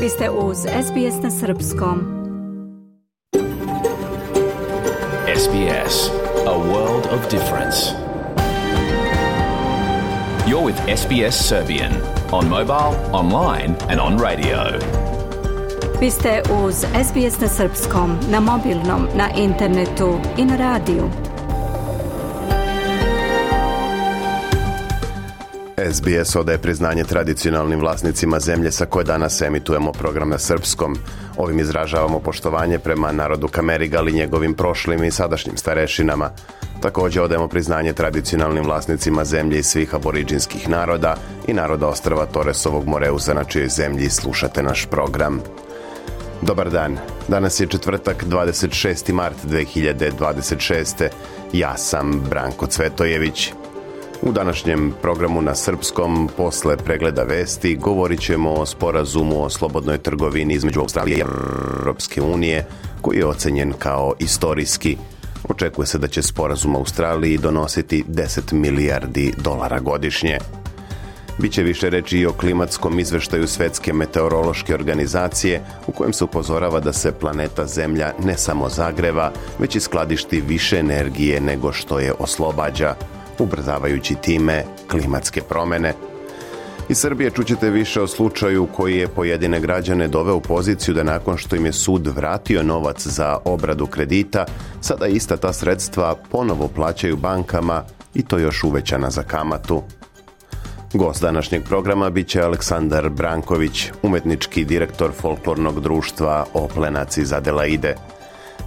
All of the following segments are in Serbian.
Vi ste uz SBS na srpskom. SBS, a world of difference. You're with SBS Serbian on mobile, online and on radio. Vi ste uz SBS na srpskom, na mobilnom, na internetu i na radiju. SBS odaje priznanje tradicionalnim vlasnicima zemlje sa koje danas emitujemo program na srpskom. Ovim izražavamo poštovanje prema narodu Kamerigal i njegovim prošlim i sadašnjim starešinama. Također odajemo priznanje tradicionalnim vlasnicima zemlje i svih aboriđinskih naroda i naroda ostrva Toresovog Moreuza na čijoj zemlji slušate naš program. Dobar dan, danas je četvrtak 26. mart 2026. Ja sam Branko Cvetojević. U današnjem programu na srpskom, posle pregleda vesti, govorit ćemo o sporazumu o slobodnoj trgovini između Australije i Europske unije, koji je ocenjen kao istorijski. Očekuje se da će sporazum Australiji donositi 10 milijardi dolara godišnje. Biće više reći i o klimatskom izveštaju Svetske meteorološke organizacije, u kojem se upozorava da se planeta Zemlja ne samo zagreva, već i skladišti više energije nego što je oslobađa, ubrzavajući time klimatske promjene. Iz Srbije čućete više o slučaju koji je pojedine građane doveo u poziciju da nakon što im je sud vratio novac za obradu kredita, sada ista ta sredstva ponovo plaćaju bankama i to još uvećana za kamatu. Gost današnjeg programa bit će Aleksandar Branković, umetnički direktor folklornog društva Oplenac iz Adelaide.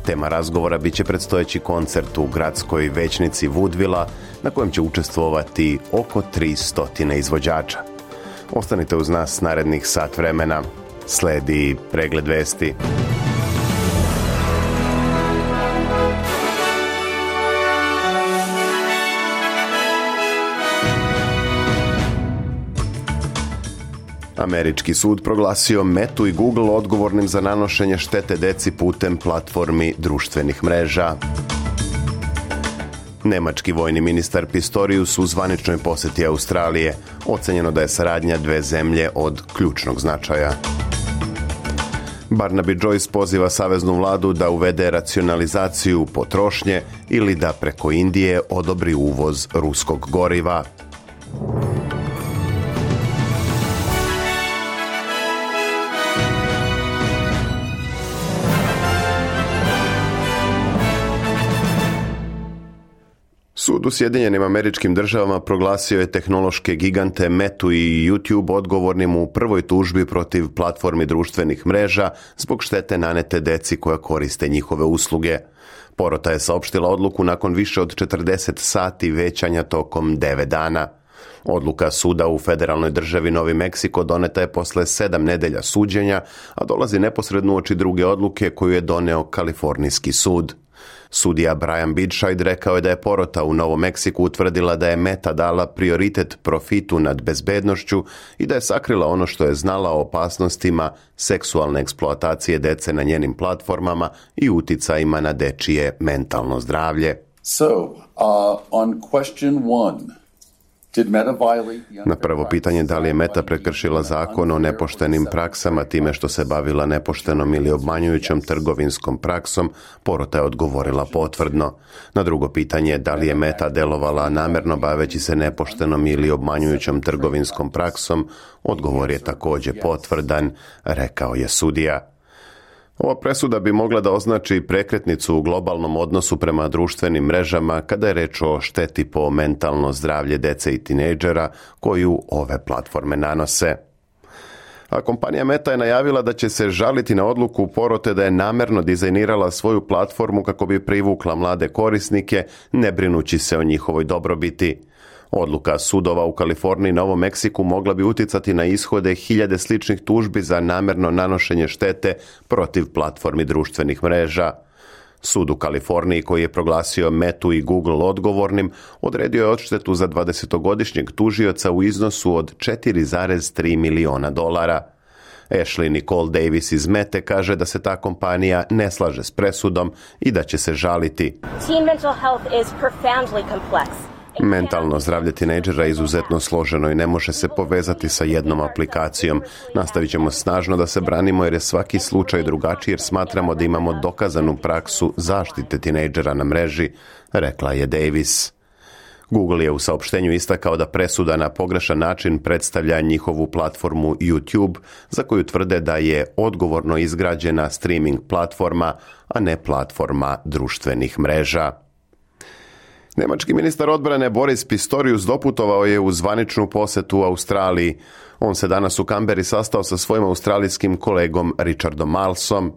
Tema razgovora bit će predstojeći koncert u gradskoj većnici Woodvilla, na kojem će učestvovati oko 300 izvođača. Ostanite uz nas narednih sat vremena. Sledi pregled vesti. Američki sud proglasio Metu i Google odgovornim za nanošenje štete deci putem platformi društvenih mreža. Nemački vojni ministar Pistorius u zvaničnoj posjeti Australije. Ocenjeno da je saradnja dve zemlje od ključnog značaja. Barnaby Joyce poziva saveznu vladu da uvede racionalizaciju potrošnje ili da preko Indije odobri uvoz ruskog goriva. Sud u Sjedinjenim Američkim Državama proglasio je tehnološke gigante Metu i YouTube odgovornim u prvoj tužbi protiv platformi društvenih mreža zbog štete nanete deci koja koriste njihove usluge. Porota je saopštila odluku nakon više od 40 sati većanja tokom 9 dana. Odluka suda u federalnoj državi Novi Meksiko doneta je posle 7 nedelja suđenja, a dolazi neposredno uoči druge odluke koju je doneo Kalifornijski sud. Sudija Brian Bidscheid rekao je da je porota u Novom Meksiku utvrdila da je Meta dala prioritet profitu nad bezbednošću i da je sakrila ono što je znala o opasnostima seksualne eksploatacije dece na njenim platformama i uticajima na dečije mentalno zdravlje. On question 1, na prvo pitanje da li je Meta prekršila zakon o nepoštenim praksama time što se bavila nepoštenom ili obmanjujućom trgovinskom praksom, porota je odgovorila potvrdno. Na drugo pitanje da li je Meta delovala namerno baveći se nepoštenom ili obmanjujućom trgovinskom praksom, odgovor je također potvrdan, rekao je sudija. Ova presuda bi mogla da označi prekretnicu u globalnom odnosu prema društvenim mrežama kada je reč o šteti po mentalno zdravlje dece i tinejdžera koju ove platforme nanose. A kompanija Meta je najavila da će se žaliti na odluku porote da je namerno dizajnirala svoju platformu kako bi privukla mlade korisnike, ne brinući se o njihovoj dobrobiti. Odluka sudova u Kaliforniji i Novom Meksiku mogla bi uticati na ishode hiljade sličnih tužbi za namerno nanošenje štete protiv platformi društvenih mreža. Sud u Kaliforniji, koji je proglasio Metu i Google odgovornim, odredio je odštetu za 20-godišnjeg tužioca u iznosu od $4,3 miliona. Ashley Nicole Davis iz Mete kaže da se ta kompanija ne slaže s presudom i da će se žaliti. Teen mental health is profoundly complex. Mentalno zdravlje tinejdžera je izuzetno složeno i ne može se povezati sa jednom aplikacijom. Nastavit ćemo snažno da se branimo jer je svaki slučaj drugačiji jer smatramo da imamo dokazanu praksu zaštite tinejdžera na mreži, rekla je Davis. Google je u saopštenju istakao da presuda na pogrešan način predstavlja njihovu platformu YouTube, za koju tvrde da je odgovorno izgrađena streaming platforma, a ne platforma društvenih mreža. Nemački ministar odbrane Boris Pistorius doputovao je u zvaničnu posetu u Australiji. On se danas u Kamberi sastao sa svojim australijskim kolegom Richardom Marlesom.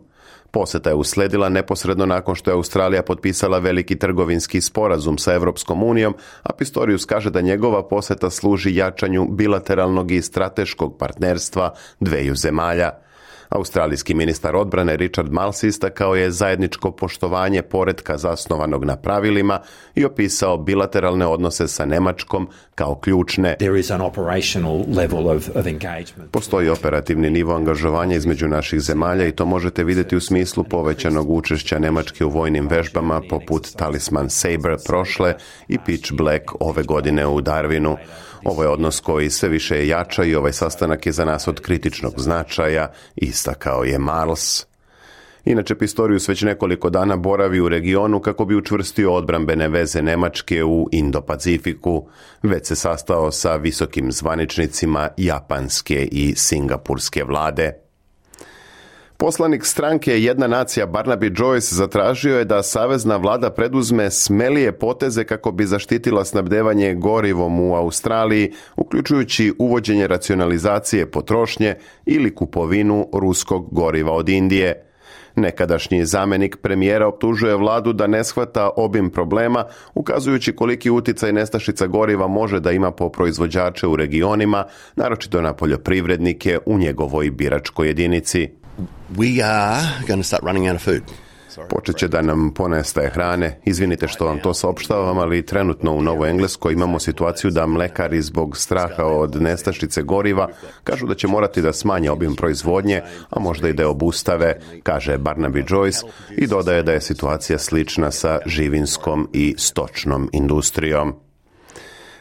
Poseta je usledila neposredno nakon što je Australija potpisala veliki trgovinski sporazum sa Europskom unijom, a Pistorius kaže da njegova poseta služi jačanju bilateralnog i strateškog partnerstva dveju zemalja. Australijski ministar odbrane Richard Marles istakao je zajedničko poštovanje poretka zasnovanog na pravilima i opisao bilateralne odnose sa Njemačkom kao ključne. Postoji operativni nivo angažovanja između naših zemalja i to možete vidjeti u smislu povećanog učešća Njemačke u vojnim vežbama poput Talisman Sabre prošle i Pitch Black ove godine u Darwinu. Ovo je odnos koji sve više jača i ovaj sastanak je za nas od kritičnog značaja, istakao je Marles. Inače, Pistorius već nekoliko dana boravi u regionu kako bi učvrstio odbrambene veze Njemačke u Indo-Pacifiku. Već se sastao sa visokim zvaničnicima japanske i singapurske vlade. Poslanik stranke Jedna nacija Barnaby Joyce zatražio je da savezna vlada preduzme smelije poteze kako bi zaštitila snabdevanje gorivom u Australiji, uključujući uvođenje racionalizacije potrošnje ili kupovinu ruskog goriva od Indije. Nekadašnji zamjenik premijera optužuje vladu da ne shvata obim problema, ukazujući koliki uticaj nestašica goriva može da ima po proizvođače u regionima, naročito na poljoprivrednike u njegovoj biračkoj jedinici. We are going to start running out of food. Počet će da nam ponestaje hrane. Izvinite što vam to saopštavam, ali trenutno u Novoj Engleskoj imamo situaciju da mlekari zbog straha od nestašice goriva kažu da će morati da smanje obim proizvodnje, a možda i da je obustave, kaže Barnaby Joyce i dodaje da je situacija slična sa živinskom i stočnom industrijom.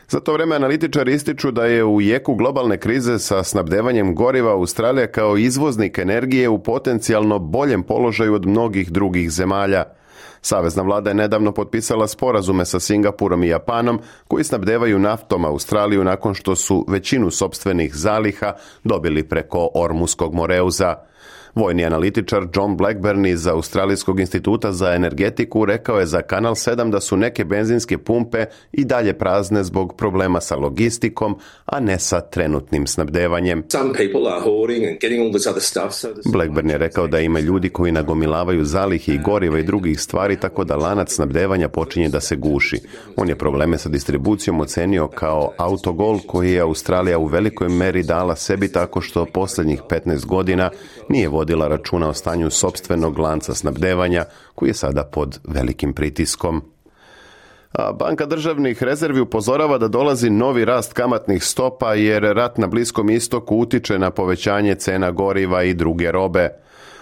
Za to vrijeme analitičari ističu da je u jeku globalne krize sa snabdevanjem goriva Australija kao izvoznik energije u potencijalno boljem položaju od mnogih drugih zemalja. Savezna vlada je nedavno potpisala sporazume sa Singapurom i Japanom koji snabdevaju naftom Australiju nakon što su većinu sopstvenih zaliha dobili preko Ormuskog moreuza. Vojni analitičar John Blackburn iz Australijskog instituta za energetiku rekao je za Kanal 7 da su neke benzinske pumpe i dalje prazne zbog problema sa logistikom, a ne sa trenutnim snabdevanjem. Blackburn je rekao da ima ljudi koji nagomilavaju zalihe i goriva i drugih stvari tako da lanac snabdevanja počinje da se guši. On je probleme sa distribucijom ocenio kao autogol koji je Australija u velikoj meri dala sebi tako što posljednjih 15 godina nije vodila računa o stanju sopstvenog lanca snabdevanja koji je sada pod velikim pritiskom. A Banka državnih rezervi upozorava da dolazi novi rast kamatnih stopa jer rat na Bliskom istoku utiče na povećanje cena goriva i druge robe.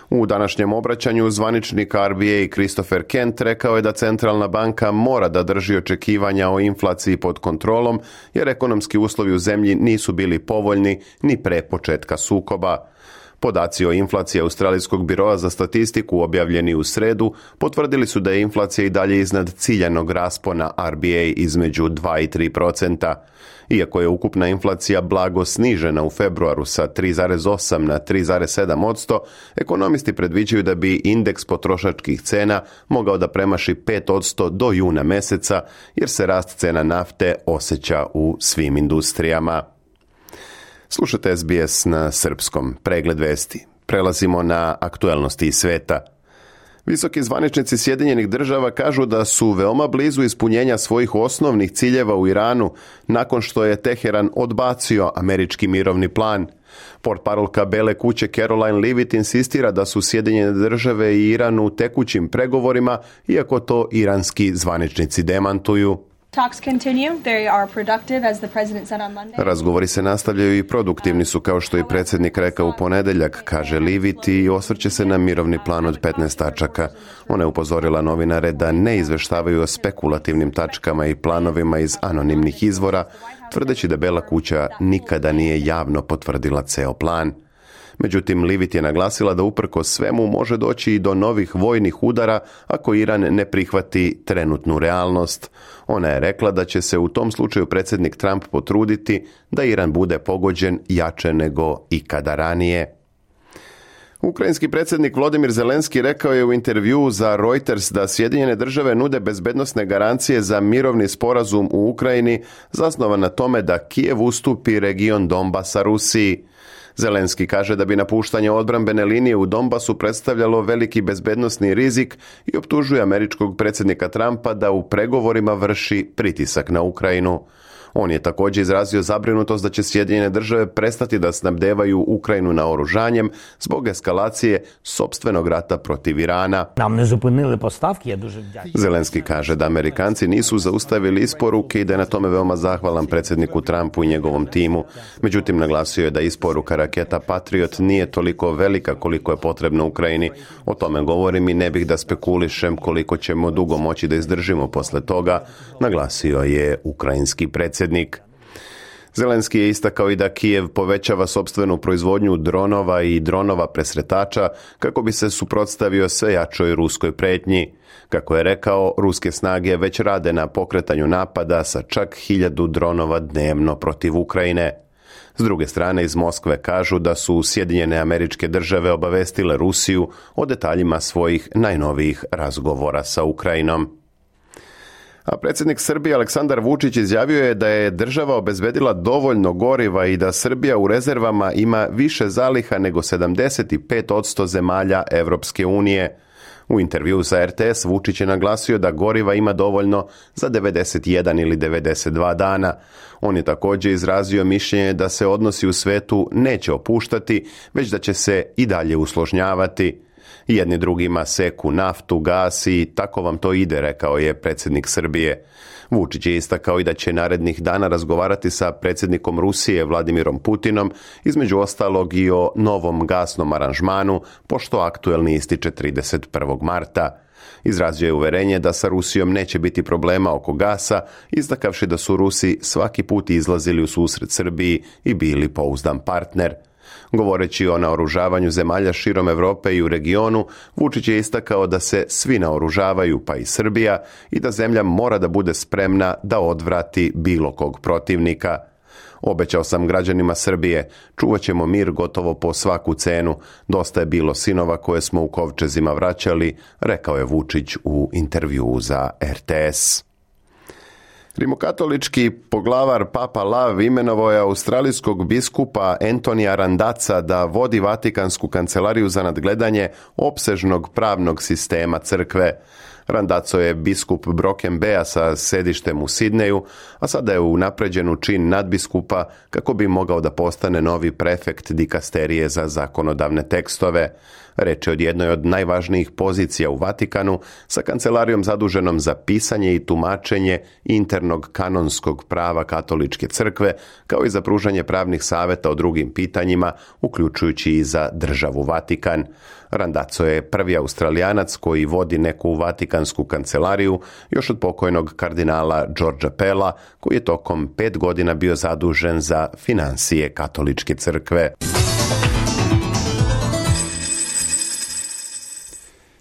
U današnjem obraćanju zvaničnik RBA Christopher Kent rekao je da centralna banka mora da drži očekivanja o inflaciji pod kontrolom jer ekonomski uslovi u zemlji nisu bili povoljni ni pre početka sukoba. Podaci o inflaciji Australijskog biroa za statistiku objavljeni u sredu potvrdili su da je inflacija i dalje iznad ciljanog raspona RBA između 2 i 3%. Iako je ukupna inflacija blago snižena u februaru sa 3,8 na 3,7%, ekonomisti predviđaju da bi indeks potrošačkih cena mogao da premaši 5% do juna meseca, jer se rast cena nafte osjeća u svim industrijama. Slušajte SBS na srpskom, pregled vesti. Prelazimo na aktuelnosti iz sveta. Visoki zvaničnici Sjedinjenih država kažu da su veoma blizu ispunjenja svojih osnovnih ciljeva u Iranu nakon što je Teheran odbacio američki mirovni plan. Portparolka Bele kuće Caroline Leavitt insistira da su Sjedinjene države i Iran u tekućim pregovorima, iako to iranski zvaničnici demantuju. Razgovori se nastavljaju i produktivni su, kao što je predsjednik rekao u ponedjeljak, kaže Leavitt, i osvrće se na mirovni plan od 15 tačaka. Ona je upozorila novinare da ne izveštavaju o spekulativnim tačkama i planovima iz anonimnih izvora, tvrdeći da Bela kuća nikada nije javno potvrdila ceo plan. Međutim, Leavitt je naglasila da uprkos svemu može doći i do novih vojnih udara ako Iran ne prihvati trenutnu realnost. Ona je rekla da će se u tom slučaju predsjednik Trump potruditi da Iran bude pogođen jače nego ikada ranije. Ukrajinski predsjednik Volodymyr Zelenski rekao je u intervjuu za Reuters da Sjedinjene države nude bezbednosne garancije za mirovni sporazum u Ukrajini zasnovan na tome da Kijev ustupi region Donbasa Rusiji. Zelenski kaže da bi napuštanje odbrambene linije u Donbasu predstavljalo veliki bezbednosni rizik i optužuje američkog predsjednika Trumpa da u pregovorima vrši pritisak na Ukrajinu. On je također izrazio zabrinutost da će Sjedinjene države prestati da snabdevaju Ukrajinu naoružanjem zbog eskalacije sopstvenog rata protiv Irana. Zelenski kaže da Amerikanci nisu zaustavili isporuke i da je na tome veoma zahvalan predsjedniku Trumpu i njegovom timu. Međutim, naglasio je da isporuka raketa Patriot nije toliko velika koliko je potrebno Ukrajini. O tome govorim i ne bih da spekulišem koliko ćemo dugo moći da izdržimo posle toga, naglasio je ukrajinski predsjednik. Zelenski je istakao i da Kijev povećava sopstvenu proizvodnju dronova i dronova presretača kako bi se suprotstavio sve jačoj ruskoj pretnji. Kako je rekao, ruske snage već rade na pokretanju napada sa čak 1000 dronova dnevno protiv Ukrajine. S druge strane, iz Moskve kažu da su Sjedinjene Američke Države obavestile Rusiju o detaljima svojih najnovijih razgovora sa Ukrajinom. A predsjednik Srbije Aleksandar Vučić izjavio je da je država obezbedila dovoljno goriva i da Srbija u rezervama ima više zaliha nego 75% zemalja Evropske unije. U intervjuu za RTS Vučić je naglasio da goriva ima dovoljno za 91 ili 92 dana. On je također izrazio mišljenje da se odnosi u svetu neće opuštati, već da će se i dalje usložnjavati. Jedni drugima seku naftu, gas i tako vam to ide, rekao je predsjednik Srbije. Vučić je istakao i da će narednih dana razgovarati sa predsjednikom Rusije Vladimirom Putinom, između ostalog i o novom gasnom aranžmanu, pošto aktuelni ističe 31. marta. Izrazio je uverenje da sa Rusijom neće biti problema oko gasa, istakavši da su Rusi svaki put izlazili u susret Srbiji i bili pouzdan partner. Govoreći o naoružavanju zemalja širom Europe i u regionu, Vučić je istakao da se svi naoružavaju, pa i Srbija, i da zemlja mora da bude spremna da odvrati bilo kog protivnika. Obećao sam građanima Srbije, čuvat ćemo mir gotovo po svaku cenu. Dosta je bilo sinova koje smo u kovčezima vraćali, rekao je Vučić u intervjuu za RTS. Rimokatolički poglavar Papa Lav imenovao je australijskog biskupa Antonija Randazza da vodi Vatikansku kancelariju za nadgledanje opsežnog pravnog sistema crkve. Randazzo je biskup Broken Baya sa sedištem u Sidneju, a sada je unapređen u čin nadbiskupa kako bi mogao da postane novi prefekt dikasterije za zakonodavne tekstove. Reč je od jednoj od najvažnijih pozicija u Vatikanu, sa kancelarijom zaduženom za pisanje i tumačenje internog kanonskog prava katoličke crkve, kao i za pružanje pravnih savjeta o drugim pitanjima, uključujući i za državu Vatikan. Randazzo je prvi Australijanac koji vodi neku Vatikansku kancelariju, još od pokojnog kardinala Georgea Pella, koji je tokom 5 godina bio zadužen za financije katoličke crkve.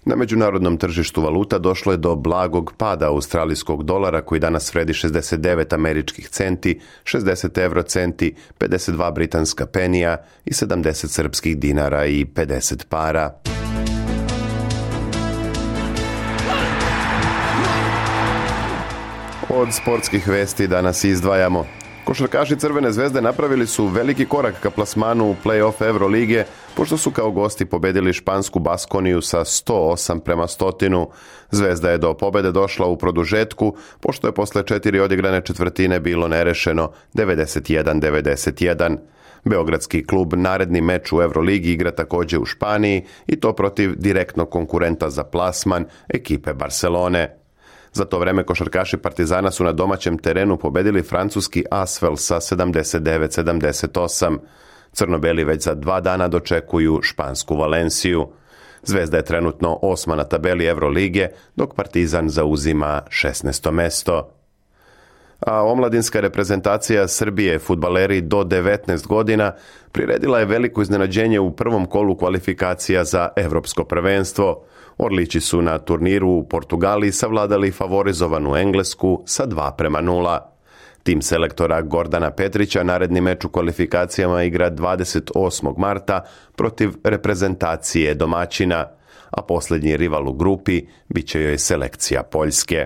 Na međunarodnom tržištu valuta došlo je do blagog pada australijskog dolara koji danas vredi 69 američkih centi, 60 eurocenti, 52 britanska penija i 70 srpskih dinara i 50 para. Od sportskih vesti danas izdvajamo. Košarkaši Crvene zvezde napravili su veliki korak ka plasmanu u play-off Eurolige, pošto su kao gosti pobedili špansku Baskoniju sa 108-100. Zvezda je do pobede došla u produžetku, pošto je posle 4 odigrane četvrtine bilo nerešeno 91-91. Beogradski klub naredni meč u Euroligi igra također u Španiji i to protiv direktnog konkurenta za plasman, ekipe Barcelone. Za to vreme košarkaši Partizana su na domaćem terenu pobedili francuski Asvel sa 79-78. Crno-beli već za 2 dana dočekuju špansku Valenciju. Zvezda je trenutno 8. na tabeli Evrolige, dok Partizan zauzima 16. mesto. A omladinska reprezentacija Srbije, fudbaleri do 19 godina, priredila je veliko iznenađenje u prvom kolu kvalifikacija za Evropsko prvenstvo. Orlići su na turniru u Portugaliji savladali favorizovanu Englesku sa 2:0. Tim selektora Gordana Petrića naredni meč u kvalifikacijama igra 28. marta protiv reprezentacije domaćina, a posljednji rival u grupi bit će joj selekcija Poljske.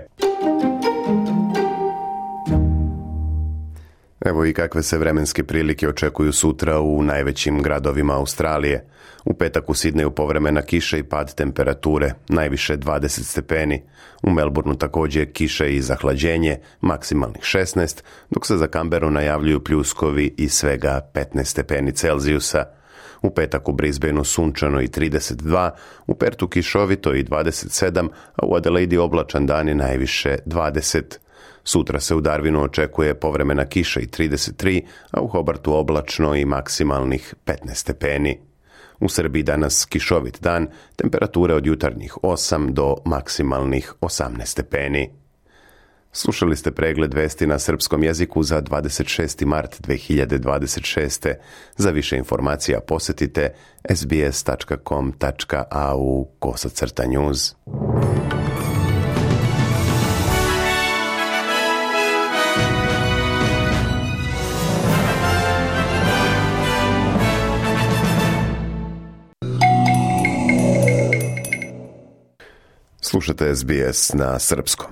Evo i kakve se vremenske prilike očekuju sutra u najvećim gradovima Australije. U petak u Sidneju povremena kiša i pad temperature, najviše 20 stepeni. U Melbourneu također kiše i zahlađenje, maksimalnih 16, dok se za Canberru najavljuju pljuskovi i svega 15 stepeni Celzijusa. U petak u Brisbaneu sunčano i 32, u Pertu kišovito i 27, a u Adelaidi oblačan dan i najviše 20. Sutra se u Darwinu očekuje povremena kiša i 33, a u Hobartu oblačno i maksimalnih 15 stepeni. U Srbiji danas kišovit dan, temperature od jutarnjih 8 do maksimalnih 18 stepeni. Slušali ste pregled vesti na srpskom jeziku za 26. mart 2026. Za više informacija posjetite sbs.com.au/news. Slušate SBS na srpskom.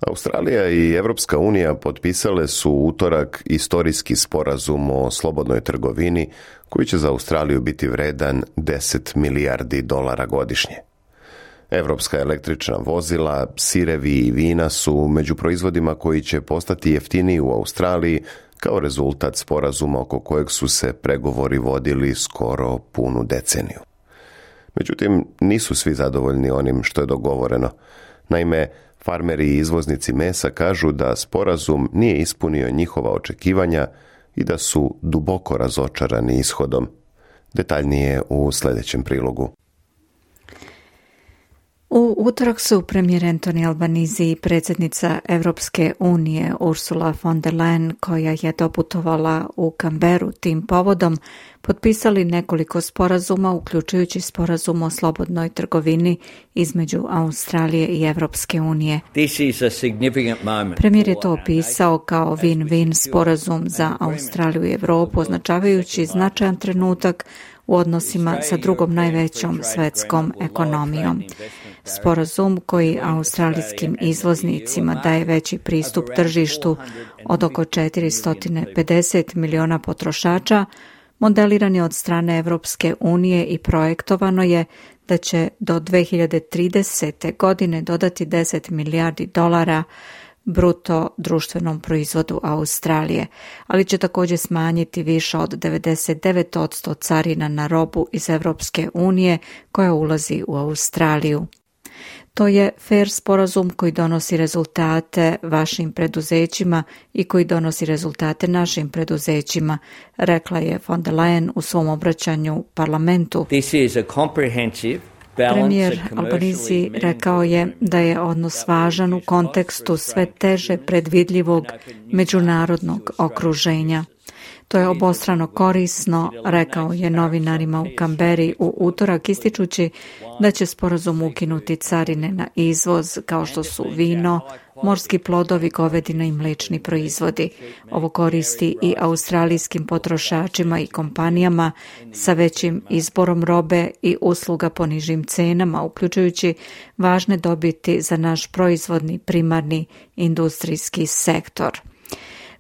Australija i Evropska unija potpisale su u utorak istorijski sporazum o slobodnoj trgovini koji će za Australiju biti vredan $10 milijardi godišnje. Evropska električna vozila, sirevi i vina su među proizvodima koji će postati jeftiniji u Australiji kao rezultat sporazuma oko kojeg su se pregovori vodili skoro punu deceniju. Međutim, nisu svi zadovoljni onim što je dogovoreno. Naime, farmeri i izvoznici mesa kažu da sporazum nije ispunio njihova očekivanja i da su duboko razočarani ishodom. Detaljnije u sljedećem prilogu. U utorak su premijer Anthony Albanese i predsjednica Europske unije Ursula von der Leyen, koja je doputovala u Canberru tim povodom, potpisali nekoliko sporazuma, uključujući sporazum o slobodnoj trgovini između Australije i Europske unije. Premijer je to opisao kao win-win sporazum za Australiju i Europu, označavajući značajan trenutak u odnosima sa drugom najvećom svetskom ekonomijom. Sporazum koji australijskim izvoznicima daje veći pristup tržištu od oko 450 miliona potrošača, modeliran je od strane Evropske unije i projektovano je da će do 2030. godine dodati $10 milijardi bruto društvenom proizvodu Australije, ali će također smanjiti više od 99% carina na robu iz Evropske unije koja ulazi u Australiju. To je fair sporazum koji donosi rezultate vašim preduzećima i koji donosi rezultate našim preduzećima, rekla je von der Leyen u svom obraćanju parlamentu. Premijer Albanese rekao je da je odnos važan u kontekstu sve teže predvidljivog međunarodnog okruženja. To je obostrano korisno, rekao je novinarima u Canberri u utorak, ističući da će sporazum ukinuti carine na izvoz kao što su vino, morski plodovi, govedina i mliječni proizvodi. Ovo koristi i australijskim potrošačima i kompanijama sa većim izborom robe i usluga po nižim cenama, uključujući važne dobiti za naš proizvodni primarni industrijski sektor.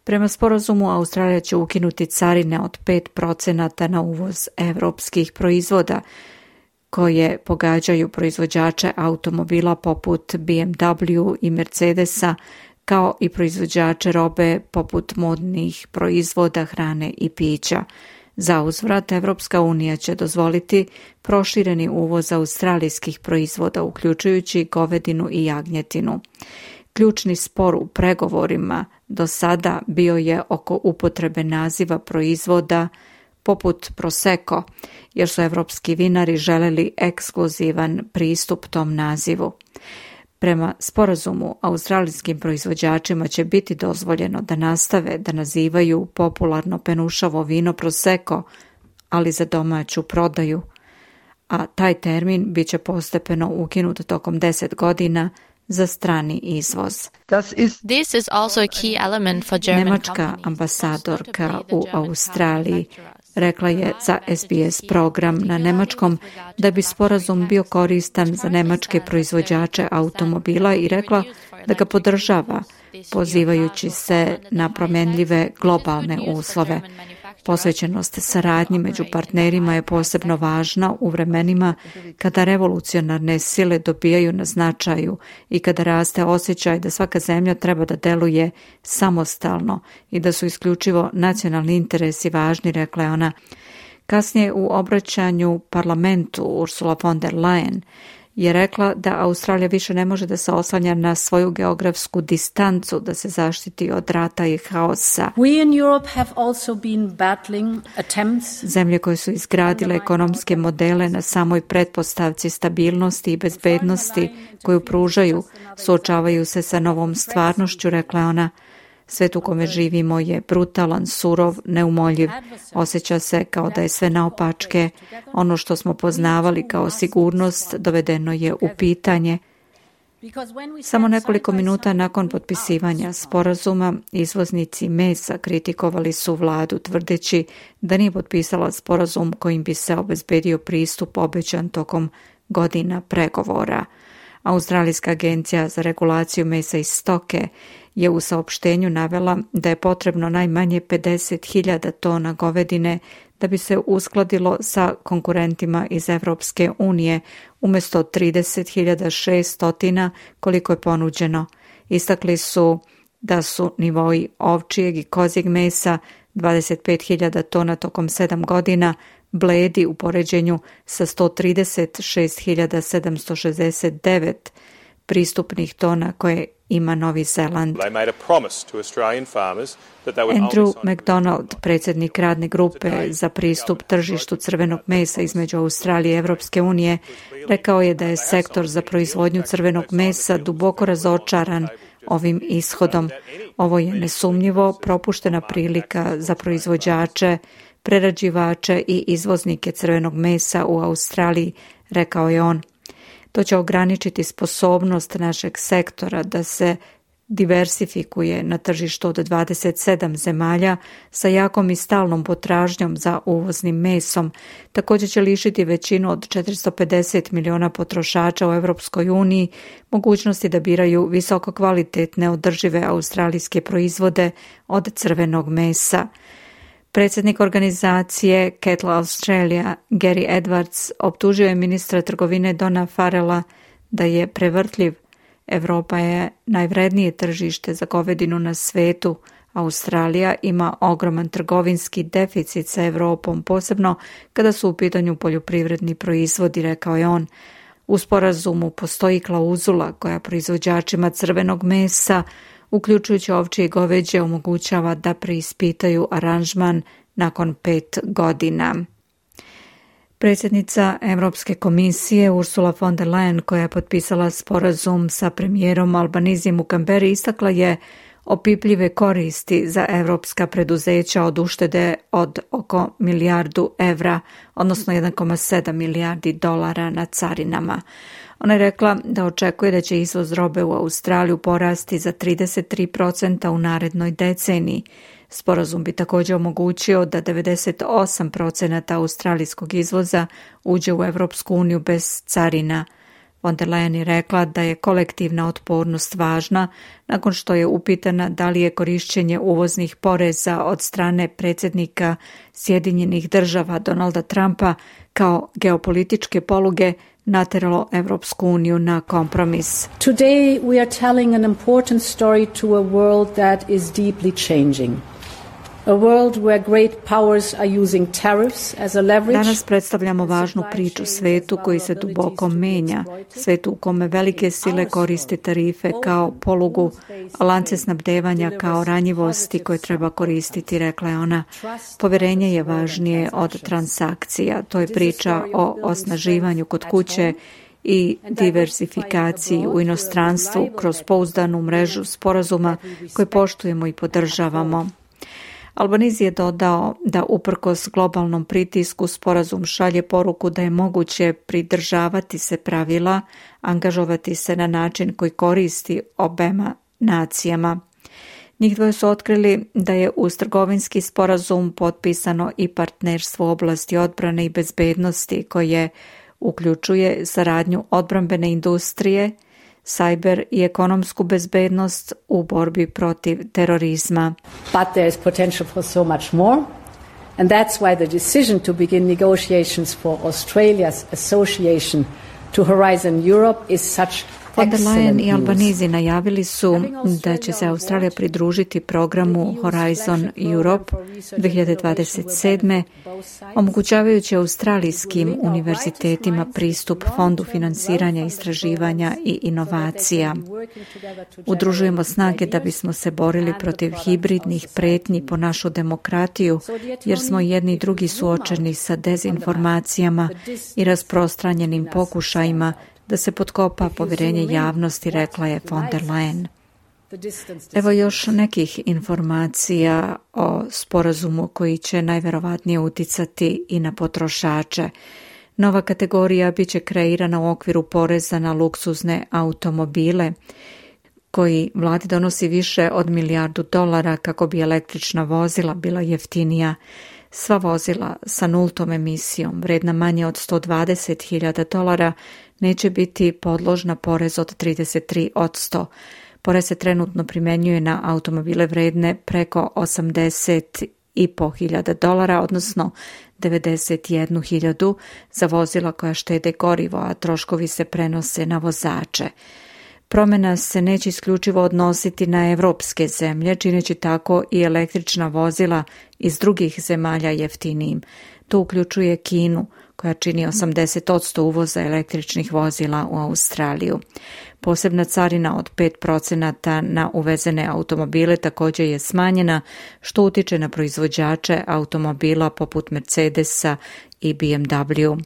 Prema sporazumu, Australija će ukinuti carine od 5% na uvoz evropskih proizvoda koje pogađaju proizvođače automobila poput BMW i Mercedesa, kao i proizvođače robe poput modnih proizvoda, hrane i pića. Za uzvrat, Evropska unija će dozvoliti prošireni uvoz australijskih proizvoda, uključujući govedinu i jagnjetinu. Ključni spor u pregovorima do sada bio je oko upotrebe naziva proizvoda poput Prosecco, jer su evropski vinari želeli ekskluzivan pristup tom nazivu. Prema sporazumu, australijskim proizvođačima će biti dozvoljeno da nastave da nazivaju popularno penušavo vino Prosecco, ali za domaću prodaju, a taj termin bit će postepeno ukinut tokom 10 godina za strani izvoz. Nemačka ambasadorka u Australiji rekla je za SBS program na nemačkom da bi sporazum bio koristan za nemačke proizvođače automobila i rekla da ga podržava, pozivajući se na promjenljive globalne uslove. Posvećenost saradnji među partnerima je posebno važna u vremenima kada revolucionarne sile dobijaju na značaju i kada raste osjećaj da svaka zemlja treba da deluje samostalno i da su isključivo nacionalni interesi važni, rekla je ona. Kasnije u obraćanju parlamentu Ursula von der Leyen je rekla da Australija više ne može da se oslanja na svoju geografsku distancu da se zaštiti od rata i haosa. Zemlje koje su izgradile ekonomske modele na samoj pretpostavci stabilnosti i bezbednosti koju pružaju, suočavaju se sa novom stvarnošću, rekla je ona. Svet u kome živimo je brutalan, surov, neumoljiv. Osjeća se kao da je sve naopačke. Ono što smo poznavali kao sigurnost dovedeno je u pitanje. Samo nekoliko minuta nakon potpisivanja sporazuma, izvoznici mesa kritikovali su vladu tvrdeći da nije potpisala sporazum kojim bi se obezbedio pristup obećan tokom godina pregovora. Australijska agencija za regulaciju mesa i stoke je u saopštenju navela da je potrebno najmanje 50.000 tona govedine da bi se uskladilo sa konkurentima iz Evropske unije umjesto 30.600 koliko je ponuđeno. Istakli su da su nivoi ovčijeg i kozjeg mesa 25.000 tona tokom 7 godina bledi u poređenju sa 136.769 pristupnih tona koje ima Novi Zeland. Andrew McDonald, predsjednik radne grupe za pristup tržištu crvenog mesa između Australije i Evropske unije, rekao je da je sektor za proizvodnju crvenog mesa duboko razočaran ovim ishodom. Ovo je nesumnjivo propuštena prilika za proizvođače, prerađivače i izvoznike crvenog mesa u Australiji, rekao je on. To će ograničiti sposobnost našeg sektora da se diversifikuje na tržištu od 27 zemalja sa jakom i stalnom potražnjom za uvoznim mesom. Također će lišiti većinu od 450 miliona potrošača u Europskoj uniji mogućnosti da biraju visoko kvalitetne održive australijske proizvode od crvenog mesa. Predsjednik organizacije Cattle Australia, Gary Edwards, optužio je ministra trgovine Dona Farrella da je prevrtljiv. Evropa je najvrednije tržište za govedinu na svetu. Australija ima ogroman trgovinski deficit sa Evropom, posebno kada su u pitanju poljoprivredni proizvodi, rekao je on. U sporazumu postoji klauzula koja proizvođačima crvenog mesa, uključujući ovčje i goveđe, omogućava da preispitaju aranžman nakon 5 godina. Predsjednica Europske komisije Ursula von der Leyen, koja je potpisala sporazum sa premijerom Albanizijem u Kamberi, istakla je opipljive koristi za evropska preduzeća od uštede od oko milijardu evra, odnosno 1,7 milijardi dolara na carinama. Ona je rekla da očekuje da će izvoz robe u Australiju porasti za 33% u narednoj deceniji. Sporazum bi također omogućio da 98% australijskog izvoza uđe u Evropsku uniju bez carina. Von der Leyen je rekla da je kolektivna otpornost važna nakon što je upitana da li je korišćenje uvoznih poreza od strane predsjednika Sjedinjenih država Donalda Trumpa kao geopolitičke poluge nateralo Evropsku uniju na kompromis. Today we are telling an important story to a world that is deeply changing. Danas predstavljamo važnu priču svetu koji se duboko menja, svetu u kome velike sile koriste tarife kao polugu, a lance snabdevanja kao ranjivosti koje treba koristiti, rekla je ona. Poverenje je važnije od transakcija. To je priča o osnaživanju kod kuće i diversifikaciji u inostranstvu kroz pouzdanu mrežu sporazuma koje poštujemo i podržavamo. Albanese je dodao da uprkos globalnom pritisku sporazum šalje poruku da je moguće pridržavati se pravila, angažovati se na način koji koristi obema nacijama. Njih dvoje su otkrili da je uz trgovinski sporazum potpisano i partnerstvo u oblasti odbrane i bezbednosti koje uključuje saradnju odbrambene industrije, cyber i ekonomsku bezbednost u borbi protiv terorizma. But there is potential for so much more, and that's why the decision to begin negotiations for Australia's association to Horizon Europe is such Von der Leyen i Albanese najavili su da će se Australija pridružiti programu Horizon Europe 2027. omogućavajući australijskim univerzitetima pristup fondu finansiranja, istraživanja i inovacija. Udružujemo snage da bismo se borili protiv hibridnih pretnji po našu demokratiju, jer smo jedni i drugi suočeni sa dezinformacijama i rasprostranjenim pokušajima da se potkopa povjerenje javnosti, rekla je von der Leyen. Evo još nekih informacija o sporazumu koji će najverovatnije uticati i na potrošače. Nova kategorija biće kreirana u okviru poreza na luksuzne automobile, koji vladi donosi više od $1 milijardu kako bi električna vozila bila jeftinija. Sva vozila sa nultom emisijom, vredna manje od $120.000, neće biti podložna porez od 33%. Porez se trenutno primjenjuje na automobile vredne preko $80.500, odnosno 91.000 za vozila koja štede gorivo, a troškovi se prenose na vozače. Promjena se neće isključivo odnositi na evropske zemlje, čineći tako i električna vozila iz drugih zemalja jeftinijim. To uključuje Kinu, koja čini 80% uvoza električnih vozila u Australiju. Posebna carina od 5% na uvezene automobile također je smanjena, što utiče na proizvođače automobila poput Mercedesa i BMW.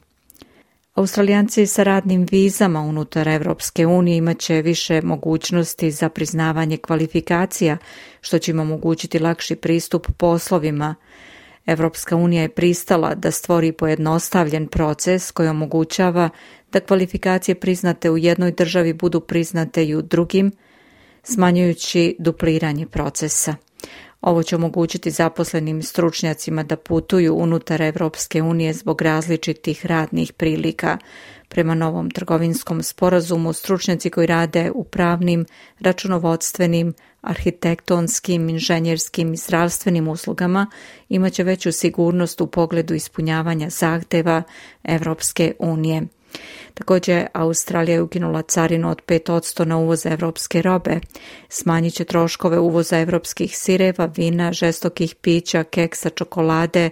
Australijanci sa radnim vizama unutar Evropske unije imat će više mogućnosti za priznavanje kvalifikacija, što će im omogućiti lakši pristup poslovima. Evropska unija je pristala da stvori pojednostavljen proces koji omogućava da kvalifikacije priznate u jednoj državi budu priznate i u drugim, smanjujući dupliranje procesa. Ovo će omogućiti zaposlenim stručnjacima da putuju unutar Evropske unije zbog različitih radnih prilika. Prema novom trgovinskom sporazumu, stručnjaci koji rade u pravnim, računovodstvenim, arhitektonskim, inženjerskim i zdravstvenim uslugama imat će veću sigurnost u pogledu ispunjavanja zahteva Evropske unije. Također, Australija je ukinula carinu od 5% na uvoz evropske robe. Smanjit će troškove uvoza evropskih sireva, vina, žestokih pića, keksa, čokolade,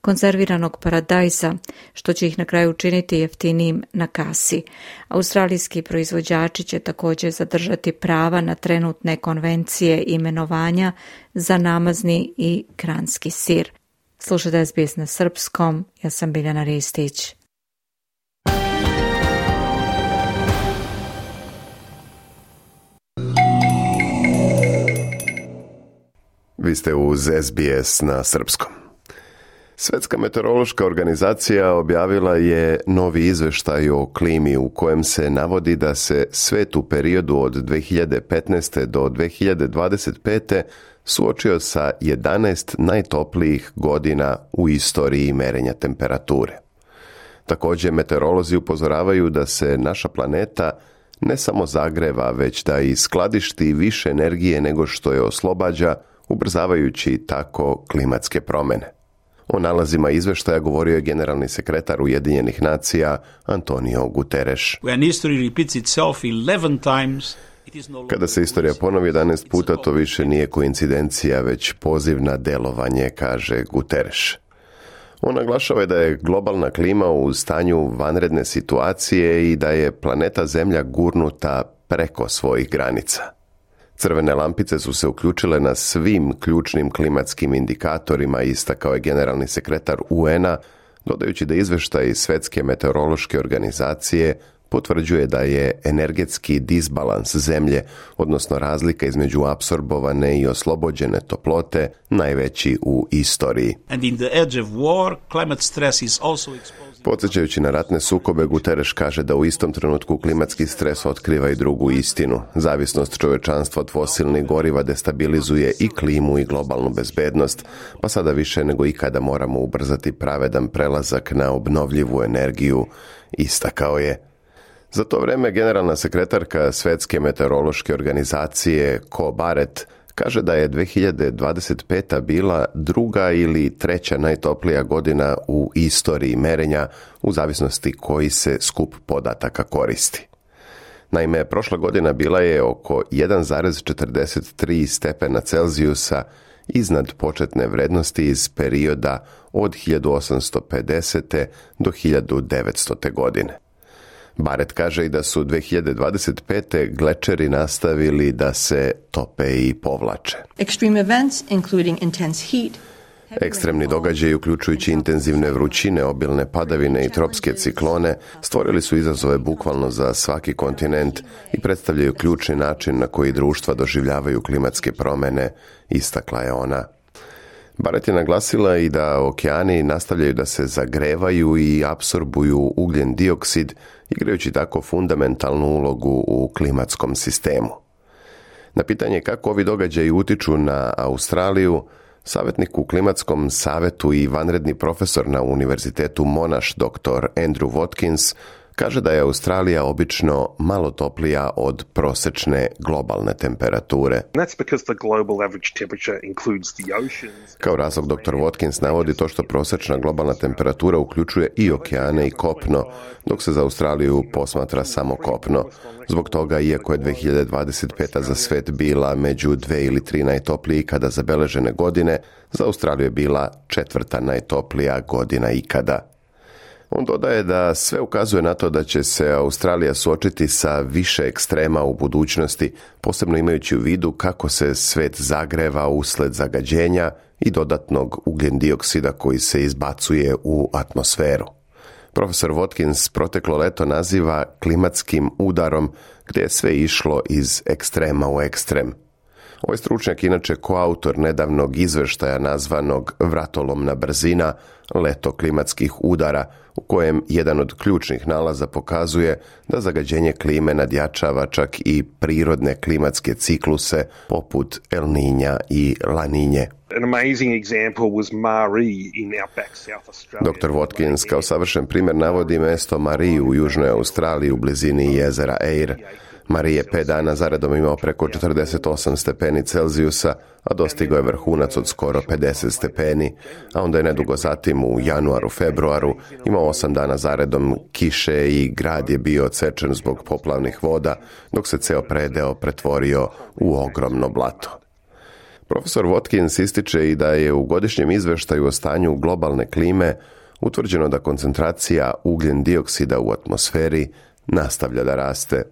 konzerviranog paradajza, što će ih na kraju učiniti jeftinijim na kasi. Australijski proizvođači će također zadržati prava na trenutne konvencije imenovanja za namazni i kranski sir. Slušajte SBS na srpskom, ja sam Biljana Ristić. Vi ste uz SBS na srpskom. Svjetska meteorološka organizacija objavila je novi izveštaj o klimi u kojem se navodi da se svet u periodu od 2015. do 2025. suočio sa 11 najtoplijih godina u istoriji merenja temperature. Također, meteorolozi upozoravaju da se naša planeta ne samo zagreva, već da i skladišti više energije nego što je oslobađa, ubrzavajući tako klimatske promjene. O nalazima izveštaja govorio je generalni sekretar Ujedinjenih nacija Antonio Guterres. When history repeats itself 11 times, Kada se istorija ponovi 11 puta, to više nije koincidencija, već poziv na delovanje, kaže Guterres. On naglašava da je globalna klima u stanju vanredne situacije i da je planeta Zemlja gurnuta preko svojih granica. Crvene lampice su se uključile na svim ključnim klimatskim indikatorima, istakao je generalni sekretar UN-a, dodajući da izveštaj iz Svjetske meteorološke organizacije potvrđuje da je energetski disbalans Zemlje, odnosno razlika između apsorbovane i oslobođene toplote, najveći u istoriji. Podsjećajući na ratne sukobe, Guterres kaže da u istom trenutku klimatski stres otkriva i drugu istinu. Zavisnost čovečanstva od fosilnih goriva destabilizuje i klimu i globalnu bezbednost, pa sada više nego ikada moramo ubrzati pravedan prelazak na obnovljivu energiju, istakao je. Za to vreme generalna sekretarka Svjetske meteorološke organizacije Ko Barrett kaže da je 2025. bila druga ili treća najtoplija godina u istoriji merenja, u zavisnosti koji se skup podataka koristi. Naime, prošla godina bila je oko 1,43 stepena Celzijusa iznad početne vrednosti iz perioda od 1850. do 1900. godine. Barrett kaže i da su 2025. glečeri nastavili da se tope i povlače. Ekstremni događaji, uključujući intenzivne vrućine, obilne padavine i tropske ciklone, stvorili su izazove bukvalno za svaki kontinent i predstavljaju ključni način na koji društva doživljavaju klimatske promjene, istakla je ona. Barrett je naglasila i da okeani nastavljaju da se zagrevaju i apsorbuju ugljen dioksid, igrajući tako fundamentalnu ulogu u klimatskom sistemu. Na pitanje kako ovi događaji utiču na Australiju, savjetnik u klimatskom savetu i vanredni profesor na Univerzitetu Monash dr. Andrew Watkins kaže da je Australija obično malo toplija od prosječne globalne temperature. Kao razlog dr. Watkins navodi to što prosječna globalna temperatura uključuje i okeane i kopno, dok se za Australiju posmatra samo kopno. Zbog toga, iako je 2025. za svet bila među 2 ili 3 najtoplijih ikada zabeležene godine, za Australiju je bila 4. najtoplija godina ikada. On dodaje da sve ukazuje na to da će se Australija suočiti sa više ekstrema u budućnosti, posebno imajući u vidu kako se svet zagreva usled zagađenja i dodatnog ugljendioksida koji se izbacuje u atmosferu. Profesor Watkins proteklo leto naziva klimatskim udarom, gdje je sve išlo iz ekstrema u ekstrem. Ovaj stručnjak inače koautor nedavnog izveštaja nazvanog Vratolomna brzina, leto klimatskih udara, u kojem jedan od ključnih nalaza pokazuje da zagađenje klime nadjačava čak i prirodne klimatske cikluse poput El Niña i La Niñe. Dr. Watkins kao savršen primjer navodi mjesto Marie u južnoj Australiji u blizini jezera Eyre. Marie je 5 dana zaredom imao preko 48 stepeni Celzijusa, a dostigao je vrhunac od skoro 50 stepeni, a onda je nedugo zatim u januaru, februaru imao 8 dana zaredom kiše i grad je bio odsečen zbog poplavnih voda, dok se ceo predeo pretvorio u ogromno blato. Profesor Watkins ističe i da je u godišnjem izveštaju o stanju globalne klime utvrđeno da koncentracija ugljen dioksida u atmosferi nastavlja da raste.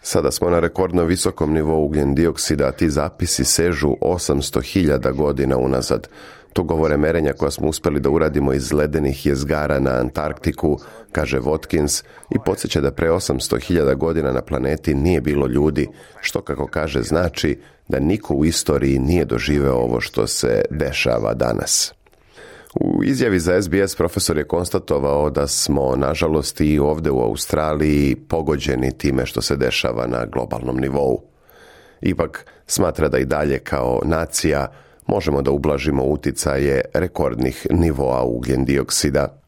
Sada smo na rekordno visokom nivou ugljen dioksida, a ti zapisi sežu 800.000 godina unazad. To govore merenja koja smo uspjeli da uradimo iz ledenih jezgara na Antarktiku, kaže Watkins, i podsjeća da pre 800.000 godina na planeti nije bilo ljudi, što kako kaže znači da niko u istoriji nije doživeo ovo što se dešava danas. U izjavi za SBS profesor je konstatovao da smo, nažalost, i ovdje u Australiji pogođeni time što se dešava na globalnom nivou. Ipak smatra da i dalje kao nacija možemo da ublažimo uticaje rekordnih nivoa ugljen dioksida.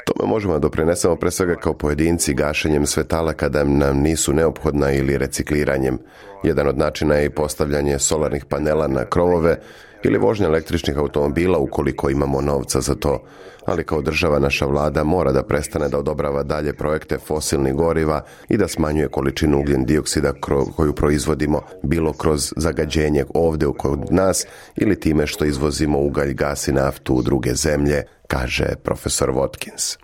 Tome možemo da doprinesemo pre svega kao pojedinci gašenjem svetala kada nam nisu neophodna ili recikliranjem. Jedan od načina je i postavljanje solarnih panela na krovove ili vožnja električnih automobila ukoliko imamo novca za to. Ali kao država naša vlada mora da prestane da odobrava dalje projekte fosilnih goriva i da smanjuje količinu ugljen dioksida koju proizvodimo, bilo kroz zagađenje ovdje kod nas ili time što izvozimo ugalj, gas i naftu u druge zemlje, kaže profesor Watkins.